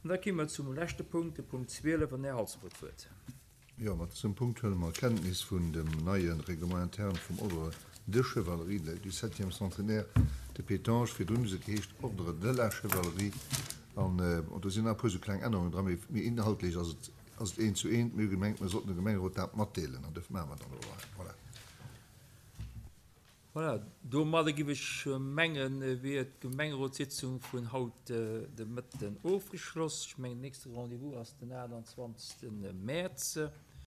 An da gi mer zum leschte Punkt, de Punkt 12, an den Här Halsdorf huet d'Wuert. Jo, mat dësem Punkt huele mer Kenntnis vun dem neie Règlement interne vum Ordre de Chevalerie du septième centenaire de Pétange. Virdrun huet et geheescht Ordre de la Chevalerie. An do sinn nach e puer esou kleng Ännerungen dran, mee inhaltlech ass et ass et eent zu eent. Mir hu gemengt, mer sollten dem Gemengerot dat matdeelen, an duerfir maache mer dat elo hei. Voilà. Voilà, domadder giff ech mengen, wier d'Gemengerotssitzung vun haut de Mëtten ofgeschloss. Ech mengen, den nächste Rendez-vous ass den 28. Mäerz.